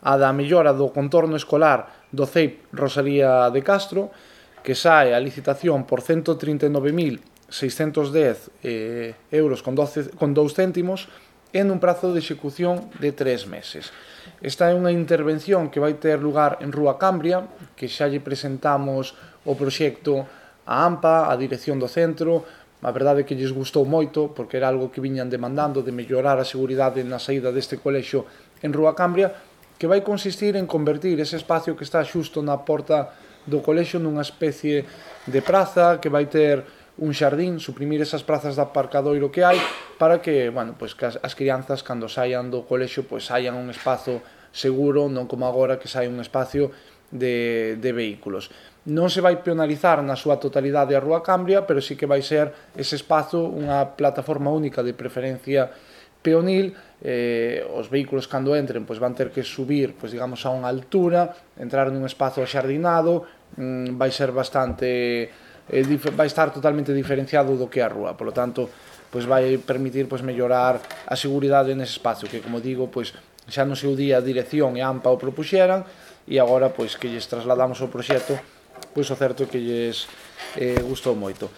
a da mellora do contorno escolar do CEIP Rosalía de Castro, que sae a licitación por 139.610 euros con 2 céntimos e nun prazo de execución de 3 meses. Esta é unha intervención que vai ter lugar en Rúa Cambria, que xa lle presentamos o proxecto a AMPA, a dirección do centro. A verdade é que lles gustou moito, porque era algo que viñan demandando de mellorar a seguridade na saída deste colexio en Rúa Cambria, que vai consistir en convertir ese espacio que está xusto na porta do colexio nunha especie de praza que vai ter un xardín, suprimir esas prazas de aparcadoiro que hai para que, que as crianzas cando saian do colexio saian un espazo seguro, non como agora que sai un espacio de vehículos. Non se vai peonalizar na súa totalidade a Rúa Cambria, pero sí que vai ser ese espazo unha plataforma única de preferencia peonil. Os vehículos cando entren van ter que subir a unha altura, entrar nun espazo axardinado, vai ser bastante vai estar totalmente diferenciado do que é a rúa, polo tanto vai permitir mellorar a seguridade nese espacio que, como digo, xa no seu día a dirección e a AMPA o propuxeran, e agora que lles trasladamos o proxecto, o certo é que lles gustou moito.